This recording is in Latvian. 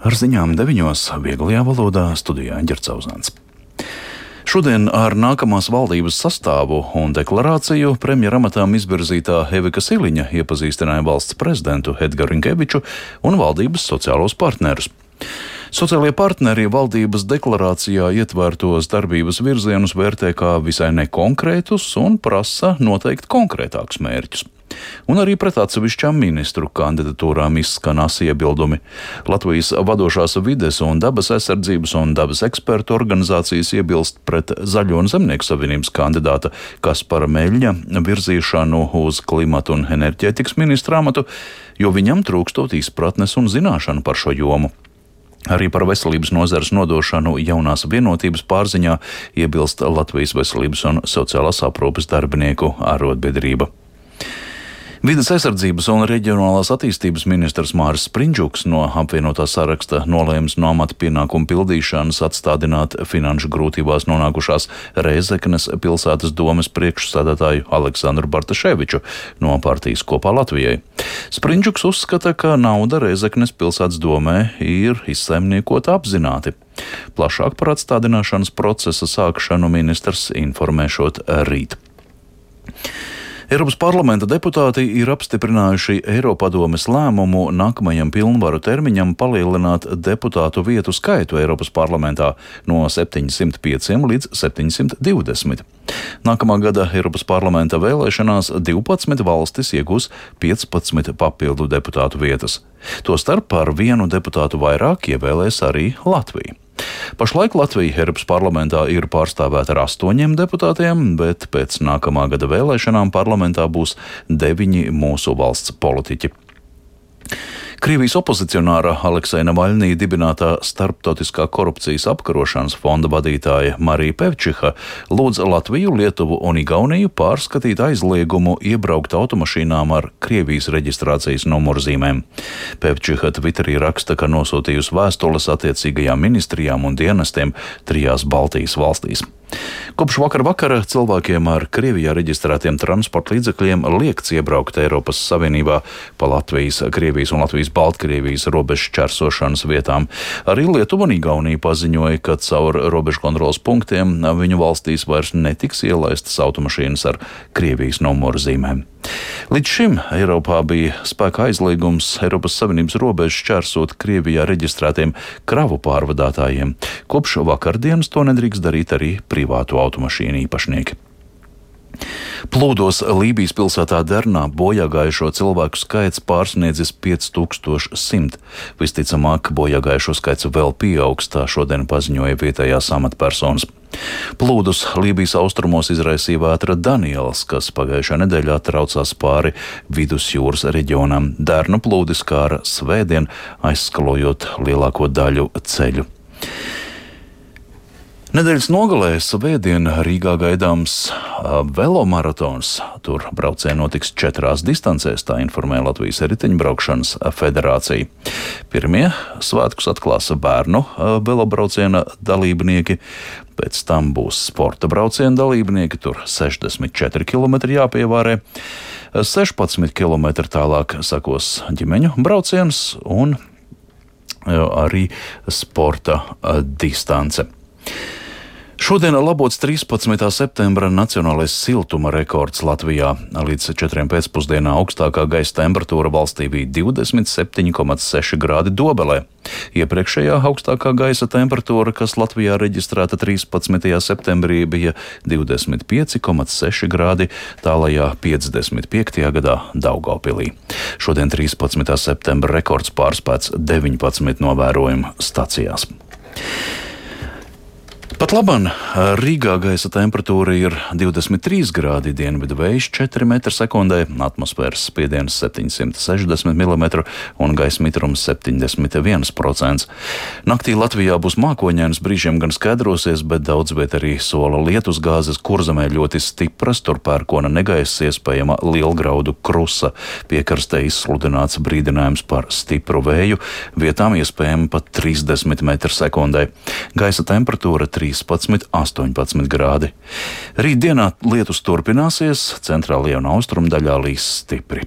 Ar ziņām 9. vieglajā valodā studijā Ģerts Auzāns. Šodien ar nākamās valdības sastāvu un deklarāciju premjeramatām izvirzītā Evika Siliņa iepazīstināja valsts prezidentu Edgaru Rinkeviču un valdības sociālos partnerus. Sociālie partneri valdības deklarācijā ietvērtos darbības virzienus vērtē kā visai nekonkrētus un prasa noteikt konkrētākus mērķus. Un arī pret atsevišķām ministru kandidatūrām izskan asi iebildumi. Latvijas vadošās vides un dabas aizsardzības un dabas ekspertu organizācijas iebilst pret Zaļo un Zemnieku savienības kandidāta Kaspara Meļņa virzīšanu uz klimatu un enerģētikas ministra amatu, jo viņam trūkstot izpratnes un zināšanu par šo jomu. Arī par veselības nozares nodošanu jaunās vienotības pārziņā iebilst Latvijas veselības un sociālās aprūpes darbinieku arotbiedrība. Vides aizsardzības un reģionālās attīstības ministrs Māris Sprindžuks no apvienotā saraksta nolēms no amata pienākumu pildīšanas atstādināt finanšu grūtībās nonākušās Rēzeknes pilsētas domes priekšsēdētāju Aleksandru Bartaševiču no partijas Kopā Latvijai. Sprindžuks uzskata, ka nauda Rēzeknes pilsētas domē ir izsaimniekota apzināti. Plašāk par atstādināšanas procesa sākšanu ministrs informēšot rīt. Eiropas parlamenta deputāti ir apstiprinājuši Eiropadomes lēmumu nākamajam pilnvaru termiņam palielināt deputātu vietu skaitu Eiropas parlamentā no 705 līdz 720. Nākamā gada Eiropas parlamenta vēlēšanās 12 valstis iegūs 15 papildu deputātu vietas. Tostarp par vienu deputātu vairāk ievēlēs arī Latvija. Pašlaik Latvija Eiropas parlamentā ir pārstāvēta ar 8 deputātiem, bet pēc nākamā gada vēlēšanām parlamentā būs 9 mūsu valsts politiķi. Krievijas opozicionāra Alekseja Navaļnija dibinātā Starptautiskā korupcijas apkarošanas fonda vadītāja Marija Pevčiha lūdz Latviju, Lietuvu un Igauniju pārskatīt aizliegumu iebraukt automašīnām ar Krievijas reģistrācijas numurzīmēm. Pevčiha Twitterī raksta, ka nosūtījusi vēstules attiecīgajām ministrijām un dienestiem 3 Baltijas valstīs. Kopš vakara cilvēkiem ar Krievijā reģistrētiem transporta līdzekļiem liekts iebraukt Eiropas Savienībā pa Latvijas, Krievijas un Latvijas-Baltkrievijas robežu šķērsošanas vietām. Arī Lietuva un Igaunija paziņoja, ka caur robežu kontroles punktiem viņu valstīs vairs netiks ielaistas automašīnas ar Krievijas numurzīmēm. Līdz šim Eiropā bija spēkā aizliegums Eiropas Savienības robežu šķērsot Krievijā reģistrētiem kravu pārvadātājiem. Kopš vakardienas to nedrīkst darīt arī privātu automašīnu īpašnieki. Plūdos Lībijas pilsētā Dernā bojāgājušo cilvēku skaits pārsniedzis 5100. Visticamāk, bojāgājušo skaits vēl pieaugs, tā šodien paziņoja vietējās amatpersonas. Plūdus Lībijas austrumos izraisīja vētra Daniels, kas pagājušā nedēļā traucās pāri Vidusjūras reģionam. Dernu plūdi skāra svētdien, aizskalojot lielāko daļu ceļu. Nedēļas nogalē svētdien Rīgā gaidāms velomaratons. Tur braucieni notiks 4 distancēs, tā informē Latvijas riteņbraukšanas federācija. Pirmie svētkus atklās bērnu velobrauciena dalībnieki, pēc tam būs sporta brauciena dalībnieki, tur 64 km jāpievārē, 16 km tālāk sakos ģimeņu brauciens un arī sporta distance. Šodien labots 13. septembra nacionālais siltuma rekords Latvijā. Līdz 4 pēcpusdienā augstākā gaisa temperatūra valstī bija 27,6 grādi Dobelē. Iepriekšējā augstākā gaisa temperatūra, kas Latvijā reģistrēta 13. septembrī, bija 25,6 grādi tālajā 55. gadā Daugavpilī. Šodien 13. septembra rekords pārspēts 19 novērojumu stacijās. Pat labam Rīgā gaisa temperatūra ir 23 grādi, dienvidu vējš 4 m/sekundē, atmosfēras spiediens 760 mm un gaisa mitrums 71%. Naktī Latvijā būs mākoņains, brīžiem gan skaidrosies, bet daudz viet arī sola lietusgāzes, Kurzemē ļoti stipras, tur pērkona negaiss, iespējama lielgraudu krusa. Piekrastē izsludināts brīdinājums par stipru vēju, vietām iespējami pat 30 m/sekundē. Gaisa temperatūra 13–18 grādi. Rītdienā lietus turpināsies, centrālajā un austrumu daļā līs stipri.